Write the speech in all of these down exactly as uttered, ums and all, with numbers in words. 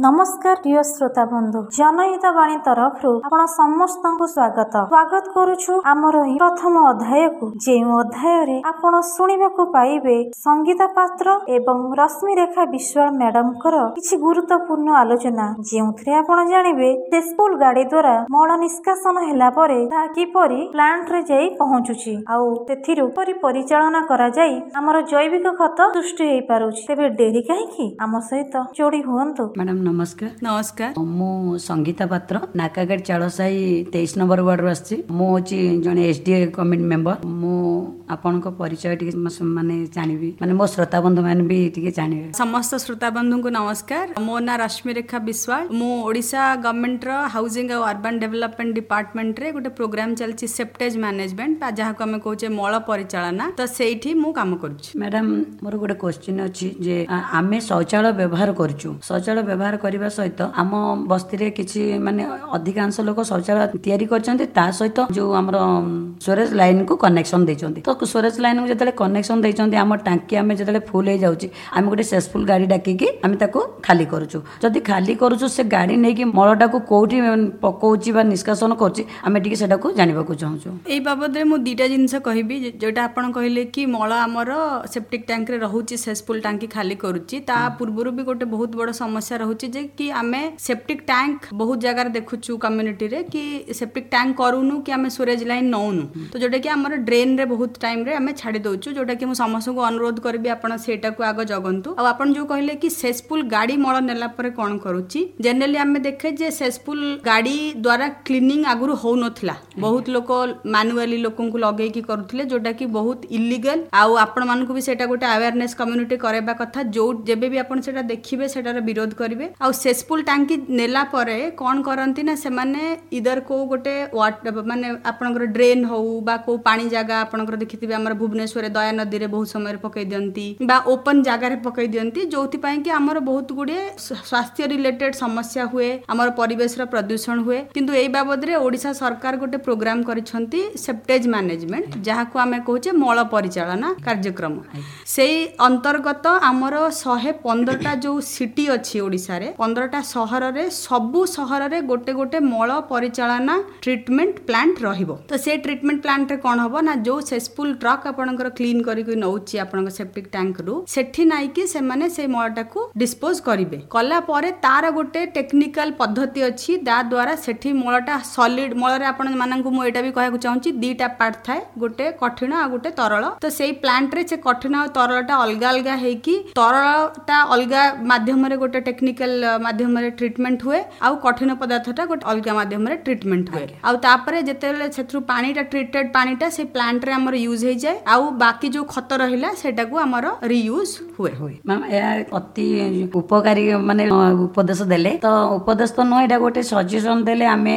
ନମସ୍କାର ପ୍ରିୟ ଶ୍ରୋତା ବନ୍ଧୁ, ଜନହିତ ବାଣୀ ତରଫରୁ ଆପଣ ସମସ୍ତଙ୍କୁ ସ୍ୱାଗତ ସ୍ୱାଗତ କରୁଛୁ ଆମର ଏହି ପ୍ରଥମ ଅଧ୍ୟାୟକୁ, ଯେଉଁ ଅଧ୍ୟାୟରେ ଆପଣ ଶୁଣିବାକୁ ପାଇବେ ସଙ୍ଗୀତା ପାତ୍ର ଏବଂ ରଶ୍ମିରେଖା ବିଶ୍ୱାଳ ମ୍ୟାଡାମଙ୍କର କିଛି ଗୁରୁତ୍ୱପୂର୍ଣ୍ଣ ଆଲୋଚନା, ଯେଉଁଥିରେ ଆପଣ ଜାଣିବେ ସେସ୍ପୁଲ ଗାଡି ଦ୍ୱାରା ମଳ ନିଷ୍କାସନ ହେଲା ପରେ ତାହା କିପରି ପ୍ଲାଣ୍ଟରେ ଯାଇ ପହଞ୍ଚୁଛି ଆଉ ସେଥିରୁ କିପରି ପରିଚାଳନା କରାଯାଇ ଆମର ଜୈବିକ ଖତ ସୃଷ୍ଟି ହେଇପାରୁଛି। ତେବେ ଡେରି କାହିଁକି, ଆମ ସହିତ ଯୋଡି ହୁଅନ୍ତୁ। ମ୍ୟାଡ଼ାମ ନମସ୍କାର। ନମସ୍କାର। ମୁଁ ସଙ୍ଗୀତା ପାତ୍ର, ନାକାଗାଡ଼ି ଚାଳସାହି ତେଇଶ ନମ୍ବର ୱାର୍ଡରୁ ଆସିଛି। ମୁଁ ହେଉଛି ଜଣେ S D A committee member. ମୁଁ ଆପଣଙ୍କ ପରିଚୟ ଟିକେ ମାନେ ଜାଣିବି, ମାନେ ମୋ ଶ୍ରୋତା ବନ୍ଧୁ ମାନେ ବି ଟିକେ ଜାଣିବେ। ସମସ୍ତ ଶ୍ରୋତା ବନ୍ଧୁଙ୍କୁ ନମସ୍କାର। ମୋ ନାଁ ରଶ୍ମିରେଖା ବିଶ୍ୱାଳ। ମୁଁ ଓଡ଼ିଶା ଗଭର୍ଣ୍ଣମେଣ୍ଟର ହାଉସିଂ ଆଉ ଅର୍ବାନ ଡେଭଲପମେଣ୍ଟ ଡିପାର୍ଟମେଣ୍ଟରେ ଗୋଟେ ପ୍ରୋଗ୍ରାମ ଚାଲିଛି ସେପ୍ଟେଜ ମ୍ୟାନେଜମେଣ୍ଟ, ବା ଯାହାକୁ ଆମେ କହୁଛେ ମଳ ପରିଚାଳନା, ତ ସେଇଠି ମୁଁ କାମ କରୁଛି। ମ୍ୟାଡ଼ାମ, ମୋର ଗୋଟେ କ୍ୱେଶ୍ଚିନ୍ ଅଛି ଯେ ଆମେ ଶୌଚାଳୟ ବ୍ୟବହାର କରୁଛୁ। ଶୌଚାଳୟ ବ୍ୟବହାର କରିବା ସହିତ ଆମ ବସ୍ତିରେ କିଛି ମାନେ ଅଧିକାଂଶ ଲୋକ ଶୌଚାଳୟ ତିଆରି କରିଛନ୍ତି, ତା ସହିତ ଯୋଉ ଆମର ସ୍ୱେରେଜ ଲାଇନକୁ କନେକ୍ସନ ଦେଇଛନ୍ତି। ତ ସ୍ୱେରେଜ ଲାଇନକୁ ଯେତେବେଳେ କନେକ୍ସନ ଦେଇଛନ୍ତି, ଆମ ଟାଙ୍କି ଆମେ ଯେତେବେଳେ ଫୁଲ ହେଇଯାଉଛି, ଆମେ ଗୋଟେ ସେସଫୁଲ ଗାଡ଼ି ଡାକିକି ଆମେ ତାକୁ ଖାଲି କରୁଛୁ। ଯଦି ଖାଲି କରୁଛୁ, ସେ ଗାଡ଼ି ନେଇକି ମଳଟାକୁ କୋଉଠି ପକଉଛି ବା ନିଷ୍କାସନ କରୁଛି, ଆମେ ଟିକେ ସେଟାକୁ ଜାଣିବାକୁ ଚାହୁଁଛୁ। ଏଇ ବାବଦରେ ମୁଁ ଦିଟା ଜିନିଷ କହିବି। ଯୋଉଟା ଆପଣ କହିଲେ କି ମଳ ଆମର ସେପ୍ଟିକ ଟ୍ୟାଙ୍କରେ ରହୁଛି, ସେସଫୁଲ ଟାଙ୍କି ଖାଲି କରୁଛି, ତା ପୂର୍ବରୁ ବି ଗୋଟେ ବହୁତ ବଡ଼ ସମସ୍ୟା ରହୁଛି ଯେ କି ଆମେ ସେପ୍ଟିକ ଟ୍ୟାଙ୍କ ବହୁତ ଜାଗାରେ ଦେଖୁଛୁ କମ୍ୟୁନିଟିରେ କି ସେପ୍ଟିକ ଟ୍ୟାଙ୍କ କରୁନୁ କି ଆମେ ସ୍ୱେରେଜ ଲାଇନ ନଉନୁ, ତ ଯୋଉଟା କି ଆମର ଡ୍ରେନରେ ବହୁତ ଟାଇମରେ ଆମେ ଛାଡ଼ି ଦଉଛୁ, ଯୋଉଟା କି ମୁଁ ସମସ୍ତଙ୍କୁ ଅନୁରୋଧ କରିବି ଆପଣ ସେଇଟାକୁ ଆଗ ଜଗନ୍ତୁ। ଆଉ ଆପଣ ଯୋଉ କହିଲେ କି ସେସପୁଲ ଗାଡ଼ି ମଳ ନେଲା ପରେ କଣ କରୁଛି, ଜେନେରାଲି ଆମେ ଦେଖେ ଯେ ସେସପୁଲ ଗାଡ଼ି ଦ୍ୱାରା କ୍ଲିନିଂ ଆଗରୁ ହଉନଥିଲା, ବହୁତ ଲୋକ ମାନୁଆଲି ଲୋକଙ୍କୁ ଲଗେଇକି କରୁଥିଲେ, ଯୋଉଟା କି ବହୁତ ଇଲିଗାଲ। ଆଉ ଆପଣମାନଙ୍କୁ ବି ସେଇଟା ଗୋଟେ ଆୱାରନେସ୍ କମ୍ୟୁନିଟି କରାଇବା କଥା, ଯୋଉ ଯେବେ ବି ଆପଣ ସେଇଟା ଦେଖିବେ ସେଟାର ବିରୋଧ କରିବେ। ଆଉ ସେସପୁଲ ଟାଙ୍କି ନେଲା ପରେ କଣ କରନ୍ତି ନା, ସେମାନେ ଇଦର କୋଉ ଗୋଟେ ମାନେ ଆପଣଙ୍କର ଡ୍ରେନ୍ ହଉ ବା କୋଉ ପାଣି ଜାଗା, ଆପଣଙ୍କର ଦେଖିଥିବେ ଆମର ଭୁବନେଶ୍ୱରରେ ଦୟା ନଦୀରେ ବହୁତ ସମୟରେ ପକେଇ ଦିଅନ୍ତି ବା ଓପନ ଜାଗାରେ ପକେଇ ଦିଅନ୍ତି, ଯୋଉଥିପାଇଁ କି ଆମର ବହୁତ ଗୁଡିଏ ସ୍ୱାସ୍ଥ୍ୟ ରିଲେଟେଡ ସମସ୍ୟା ହୁଏ, ଆମର ପରିବେଶର ପ୍ରଦୂଷଣ ହୁଏ। କିନ୍ତୁ ଏଇ ବାବଦରେ ଓଡ଼ିଶା ସରକାର ଗୋଟେ ପ୍ରୋଗ୍ରାମ କରିଛନ୍ତି ସେପ୍ଟେଜ ମ୍ୟାନେଜମେଣ୍ଟ, ଯାହାକୁ ଆମେ କହୁଛେ ମଳ ପରିଚାଳନା କାର୍ଯ୍ୟକ୍ରମ। ସେଇ ଅନ୍ତର୍ଗତ ଆମର ଶହେ ପନ୍ଦରଟା ଯୋଉ ସିଟି ଅଛି ଓଡ଼ିଶାରେ, ପନ୍ଦରଟା ସହରରେ, ସବୁ ସହରରେ ଗୋଟେ ଗୋଟେ ମଳ ପରିଚାଳନା ଟ୍ରିଟମେଣ୍ଟ ପ୍ଲାଣ୍ଟ ରହିବ। ତ ସେ ଟ୍ରିଟମେଣ୍ଟ ପ୍ଲାଣ୍ଟରେ କଣ ହବ ନା, ଯୋଉ ସେସପୁଲ ଟ୍ରକ୍ ଆପଣଙ୍କର କ୍ଲିନ୍ କରିକି ନଉଛି ଆପଣଙ୍କ ସେପ୍ଟିକ ଟ୍ୟାଙ୍କରୁ, ସେଠି ନାଇକି ସେମାନେ ସେଇ ମଳଟାକୁ ଡିସ୍ପୋଜ କରିବେ। କଲା ପରେ ତାର ଗୋଟେ ଟେକ୍ନିକାଲ ପଦ୍ଧତି ଅଛି, ତା ଦ୍ୱାରା ସେଠି ମଳଟା ସଲିଡ ମଳରେ, ଆପଣ ମାନଙ୍କୁ ମୁଁ ଏଇଟା ବି କହିବାକୁ ଚାହୁଁଛି, ଦିଟା ପାର୍ଟ ଥାଏ, ଗୋଟେ କଠିନ ଆଉ ଗୋଟେ ତରଳ। ତ ସେଇ ପ୍ଲାଣ୍ଟରେ ସେ କଠିନ ଆଉ ତରଳଟା ଅଲଗା ଅଲଗା ହେଇକି, ତରଳଟା ଅଲଗା ମାଧ୍ୟମରେ ଗୋଟେ ଟେକ୍ନିକାଲ ମାଧ୍ୟମରେ ଟ୍ରିଟମେଣ୍ଟ ହୁଏ, ଆଉ କଠିନ ପଦାର୍ଥଟା ଗୋଟେ ଅଲଗା ମାଧ୍ୟମରେ ଟ୍ରିଟମେଣ୍ଟ ହୁଏ। ଆଉ ତାପରେ ଯେତେବେଳେ ସେଥିରୁ ପାଣିଟା ଟ୍ରିଟେଡ ପାଣିଟା ସେ ପ୍ଲାଣ୍ଟରେ ଆମର ୟୁଜ ହେଇଯାଏ, ଆଉ ବାକି ଯୋଉ ଖତ ରହିଲା ସେଟାକୁ ଆମର ରିୟୁଜ ହୁଏ। ମ୍ୟାମ୍, ଏହା ଅତି ଉପକାରୀ ମାନେ ଉପଦେଶ ଦେଲେ। ତ ଉପଦେଶ ତ ନୁହଁ, ଏଇଟା ଗୋଟେ ସଜେସନ ଦେଲେ ଆମେ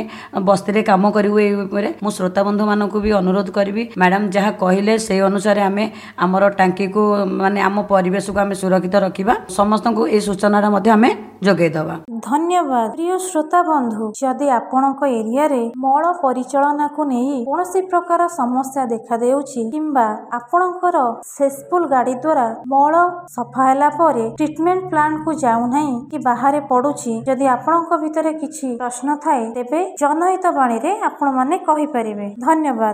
ବସ୍ତିରେ କାମ କରିବୁ ଏଇ ଉପରେ। ମୁଁ ଶ୍ରୋତା ବନ୍ଧୁ ମାନଙ୍କୁ ବି ଅନୁରୋଧ କରିବି, ମ୍ୟାଡ଼ାମ ଯାହା କହିଲେ ସେଇ ଅନୁସାରେ ଆମେ ଆମର ଟାଙ୍କିକୁ ମାନେ ଆମ ପରିବେଶକୁ ଆମେ ସୁରକ୍ଷିତ ରଖିବା। ସମସ୍ତଙ୍କୁ ଏଇ ସୂଚନାଟା ମଧ୍ୟ ଆମେ ଯୋଗାଇ ଦେବା। ଧନ୍ୟବାଦ। ପ୍ରିୟ ଶ୍ରୋତା ବନ୍ଧୁ, ଯଦି ଆପଣଙ୍କ ଏରିଆରେ ମଳ ପରିଚାଳନାକୁ ନେଇ କୌଣସି ପ୍ରକାର ସମସ୍ୟା ଦେଖାଦେଉଛି କିମ୍ବା ଆପଣଙ୍କର ସେସପୁଲ ଗାଡି ଦ୍ୱାରା ମଳ ସଫା ହେଲା ପରେ ଟ୍ରିଟମେଣ୍ଟ ପ୍ଲାଣ୍ଟକୁ ଯାଉନାହିଁ କି ବାହାରେ ପଡୁଛି, ଯଦି ଆପଣଙ୍କ ଭିତରେ କିଛି ପ୍ରଶ୍ନ ଥାଏ ତେବେ ଜନହିତ ବାଣୀରେ ଆପଣମାନେ କହିପାରିବେ। ଧନ୍ୟବାଦ।